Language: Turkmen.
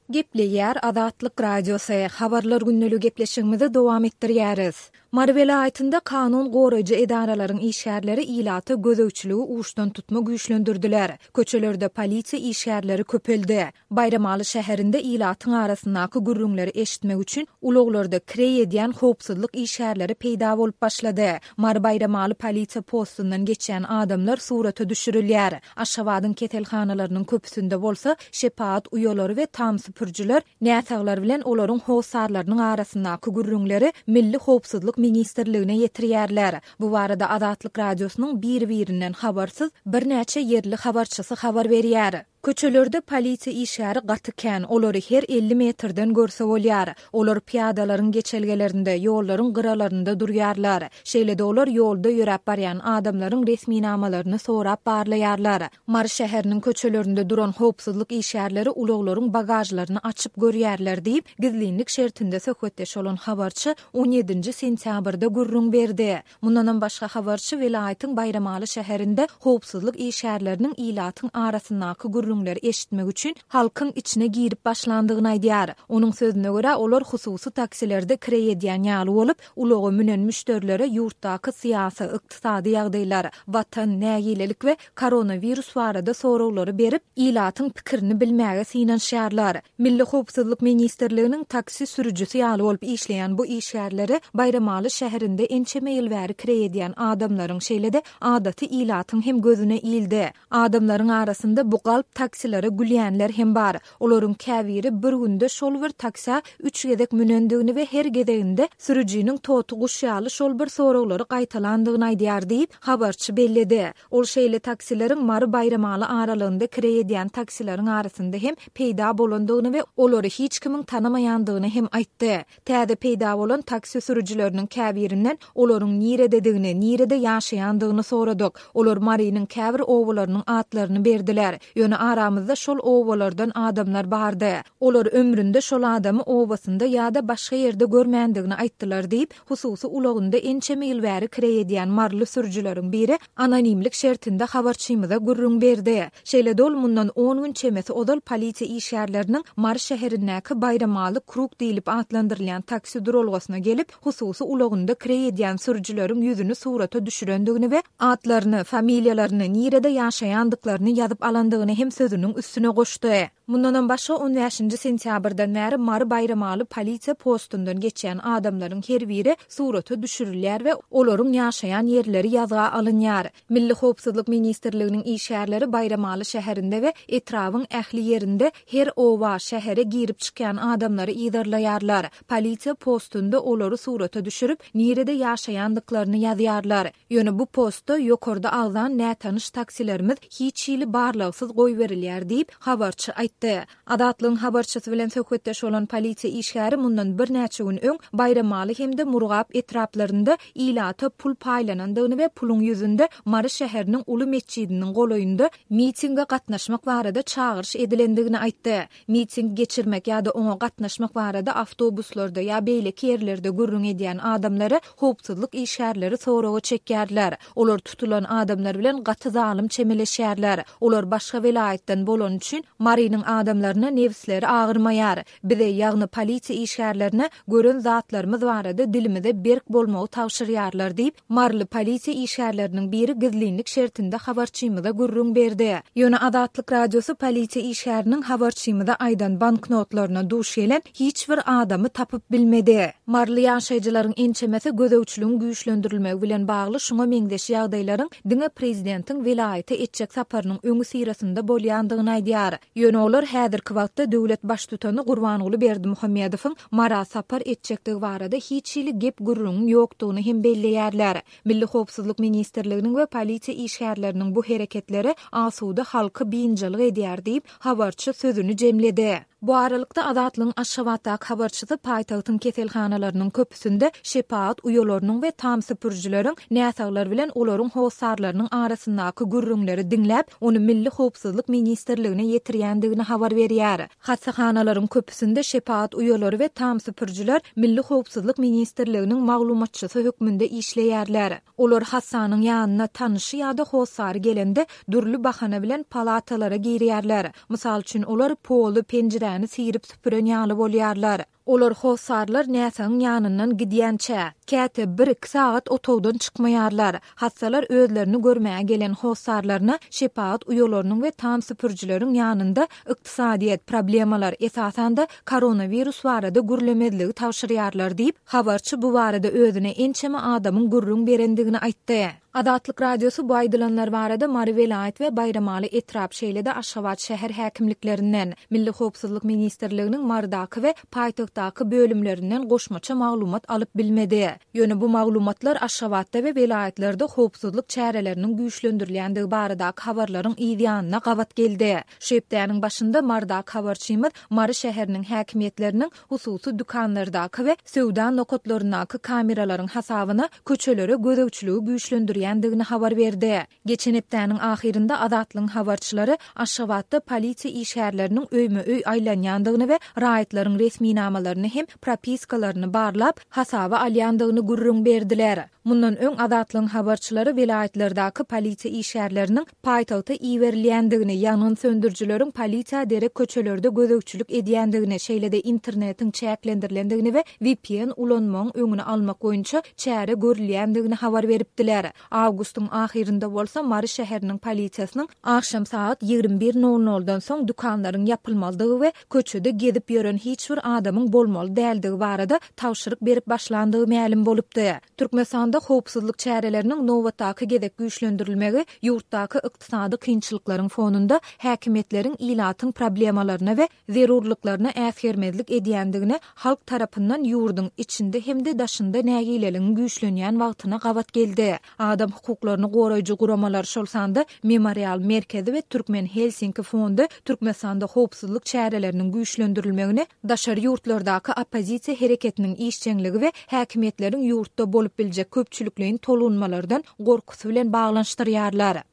Gepleýär Azatlyk Radiosy, Habarlar gündeligi gepleşigimizi dowam etdirýäris. Mary welaýatynda kanun goraýjy edaralaryň işgärleri ilata gözegçiligi uçdan tutma güýçlendirdiler. Köçelerde polisiýa işgärleri köpeldi. Baýramaly şäherinde ilatyň arasyndaky gürrüňleri eşitmek üçin ulaglarda kireý edýän howpsuzlyk işgärleri peýda bolup başlady. Mary-Baýramaly polisiýa postundan geçýän adamlar surata düşürilýär. Aşgabadyň keselhanalarynyň köpüsinde bolsa şepagat uýalary we tam süpürijiler näsaglar bilen olaryň hossarlarynyň arasyndaky gürrüňleri Milli howpsuzlyk ministrligine ýetirýärler. Bu barada Azatlyk Radiosynyň bir-birinden habarsyz birnäçe ýerli habarçysy habar berýär. Köçelerde polisiýa işgäri gaty kän, olary her 50 metrden görse bolýar. Olar pyýadalaryň geçelgelerinde, ýollaryň gyralarynda durýarlar. Şeýle-de olar ýolda ýöräp barýan adamlaryň resminamalaryny sorap barlaýarlar. Mary şäheriniň köçelerinde duran howpsuzlyk işgärleri ulaglaryň bagažlaryny açyp görýärler diýip, gizlinlik şertinde söhbetdeş bolan habarçy on ýedinji sentýabrda gürrüň berdi. Mundanam başga habarçy welaýatyň Baýramaly şäherinde howpsuzlyk işgärleriniň ilatyň arasyndaky gürrüňleri eşitmek üçin halkyň içine girip başlandygyny aýdýar. Onuň sözüne görä, olar hususy taksilerde kireý edýän ýaly bolup, ulaga münen müşderilere ýurtdaky syýasy, ykdysady ýagdaýlar, Watan, nägilelik we koronawirus barada soraglary berip, ilatyň pikirini bilmäge synanyşýarlar. Milli howpsuzlyk ministrliginiň taksi sürüjisi ýaly bolup işleýän bu işgärleri Baýramaly şäherinde ençeme ýyl bäri kireý edýän adamlaryň, şeýle-de adaty ilatyň hem gözüne ildi. Adamlaryň arasynda bu galp taksilere gülýänler hem bar. Olaryň käbiri bir günde şol bir taksä üç gezek münendigini we her gezeginde sürüjiniň toty guş ýaly şol bir soraglary gaýtalandygyny aýdýar diýip, habarçy belledi. Ol şeýle taksileriň Mary-Baýramaly aralygynda kireý edýän taksileriň arasynda hem peýda bolandygyny we olary hiç kimiň tanamaýandygyny hem aýtdy. Täze peýda bolan taksi sürüjileriniň käbirinden olaryň nirededigini, nirede ýaşaýandygyny soradyk. Olar Marynyň käbir obalarynyň atlaryny berdiler. Ýöne aramyzda şol obalardan adamlar bardy. Olar ömründe şol adamy obasynda ýa-da başga ýerde görmändigini aýtdylar diýip, hususy ulagynda ençeme ýyl bäri kireý edýän maryly sürüjileriň biri anonimlik şertinde habarçymyza gürrüň berdi. Şeýle-de ol mundan on gün çemesi ozal polisiýa işgärleriniň Mary şäherindäki Baýramaly krug diýlip atlandyrylýan taksi duralgasyna gelip, hususy ulagynda kireý edýän sürüjileriň ýüzüni surata düşürendigini we atlaryny, familiýalaryny, nirede ýaşaýandyklaryny ýazyp alandygyny hem sözüniň üstüne goşdy. Mundanam başga on bäşinji sentýabrdan bäri Mary-Baýramaly polisiýa postundan geçýän adamlaryň her biri surata düşürilýär we olaryň ýaşaýan ýerleri ýazga alynýar. Milli howpsuzlyk ministrliginiň işgärleri Baýramaly şäherinde we etrabyň ähli ýerinde her oba, şähere girip-çykýan adamlary yzarlaýarlar. Polisiýa postunda olary surata düşürip, nirede ýaşaýandyklaryny ýazýarlar. Ýöne bu postda ýokarda agzan nätanyş taksilerimiz hiç hili barlagsyz goýberilýär diýip, habarçy aýtdy. Azatlygyň habarçysy bilen söhbetdeş bolan polisiýa işgäri mundan birnäçe gün öň Baýramaly hem-de Murgap etraplarynda ilata pul paýlanandygyny we puluň ýüzünde Mary şäheriniň uly metjidiniň golaýynda mitinge gatnaşmak barada çagyryş edilendigini aýtdy. Miting geçirmek ýa-da oňa gatnaşmak barada awtobuslarda ýa beýleki ýerlerde gürrüň edýän adamlary howpsuzlyk işgärleri soraga çekýärler. Olar tutulan adamlar bilen gaty zalym çemeleşýärler. Olar başga welaýatdan bolany üçin Marynyň adamlaryna nebisleri agyrmaýar. Bize, ýagny polisiýa işgärlerine gören zatlarymyz barada dilimize berk bolmagy tabşyrýarlar diýip, Maryly polisiýa işgärleriniň biri gizlinlik şertinde habarçymyza gürrüň berdi. Ýöne Azatlyk Radiosy polisiýa işgäriniň habarçymyza aýdan banknotlaryna duş gelen hiç bir adamy tapyp bilmedi. Maryly ýaşaýjylaryň ençemesi gözegçiligiň güýçlendirilmegi bilen bagly şuňa meňzeş ýagdaýlaryň diňe prezidentiň welaýata etjek saparynyň öňüsyrasynda bolýandygyny aýdýar. Ýöne olar häzirki wagtda döwlet baştutany Gurbanguly Berdimuhamedowyň Mara sapar etjekdigi barada hiç hili gep-gürrüňiň ýokdugyny hem belleýärler. Milli howpsuzlyk ministrliginiň we polisiýa işgärleriniň bu hereketleri asuda halky biynjalyk edýär diýip, habarçy sözüni jemledi. Bu aralykda, Azatlygyň Aşgabatdaky habarçysy paýtagtyň keselhanalarynyň köpüsinde şepagat uýalarynyň we tam süpürijileriň näsaglar bilen olaryň hossarlarynyň arasyndaky gürrüňleri diňläp, ony Milli howpsuzlyk ministrligine ýetirýändigini habar berýär. Hassahanalaryň köpüsinde şepagat uýalary we tam süpürijiler Milli howpsuzlyk ministrliginiň maglumatçysy hökmünde işleýärler. Olar hassanyň ýanyna tanyşy ýa-da hossary gelende dürli bahana bilen palatalara girýärler. Mysal üçin, olar poly, penjiräni. köçäni syryp-süpüren ýaly bolýarlar. Olar hossarlar näsagyň ýanyndan gidýänçä, käte bir-iki sagat otagdan çykmaýarlar. Hassalar özlerini görmäge gelen hossarlaryna şepagat uýalarynyň we tam süpürijileriň ýanynda ykdysadyýet, problemalar, esasan-da, koronawirus barada gürlemezligi tabşyrýarlar diýip, habarçy bu barada özüne ençeme adamyň gürrüň berendigini aýtdy. Azatlyk Radiosy bu aýdylanlar barada Mary welaýat we Baýramaly etrap, şeýle-de Aşgabat şäher häkimliklerinden, Milli howpsuzlyk ministrliginiň Marydaky we paýtagtdaky bölümlerinden goşmaça maglumat alyp bilmedi. Ýöne bu maglumatlar Aşgabatda we welaýatlarda howpsuzlyk çäreleriniň güýçlendirilýändigi baradaky habarlaryň yz ýanyna gabat geldi. Şu hepdäniň başynda Marydaky habarçymyz Mary şäheriniň häkimiýetleriniň hususy dükanlardaky we söwda nokatlaryndaky kameralaryň hasabyna köçelere gözegçiligi güýçlendirýändigini habar berdi. Geçen hepdäniň ahyrynda Azatlygyň habarçylary Aşgabatda polisiýa işgärleriniň öýme-öý aýlanýandygyny we raýatlaryň resminamalaryny hem propiskalaryny barlap, hasaba alýandygyny gürrüň berdiler. Mundan öň Azatlygyň habarçylary welaýatlardaky polisiýa işgärleriniň paýtagta iberilýändigini, ýangyn söndürijileriň polisiýa derek köçelerde gözegçilik edýändigini, şeýle-de internetiň çäklendirilendigini we vpn ulanmagyň öňüni almak boýunça çäre görülýändigini habar beripdiler. Awgustyň ahyrynda bolsa Mary şäheriniň polisiýasynyň agşam sagat 21 nol noldan soň dükanlaryň ýapylmalydygy we köçede gezip ýören hiç bir adamyň bolmaly däldigi barada tabşyryk berip başlandygy mälim bolupdy. Türkmenistanda howpsuzlyk çäreleriniň nobatdaky gezek güýçlendirilmegi ýurtdaky ykdysady kynçylyklaryň fonunda häkimiýetleriň ilatyň problemalaryna we zerurlyklaryna äsgermezlik edýändigine halk tarapyndan ýurduň içinde hem-de daşynda nägileligiň güýçlenýän wagtyna gabat geldi. Adam hukuklaryny goraýjy guramalar, şol sanda Memorial merkezi we Türkmen Helsinki fondy Türkmenistanda howpsuzlyk çäreleriniň güýçlendirilmegini daşary ýurtlardaky oppozisiýa hereketiniň işjeňligi we häkimiýetleriň ýurtda bolup biljek köpçülikleýin tolgunmalardan gorkusy bilen baglanyşdyrýarlar.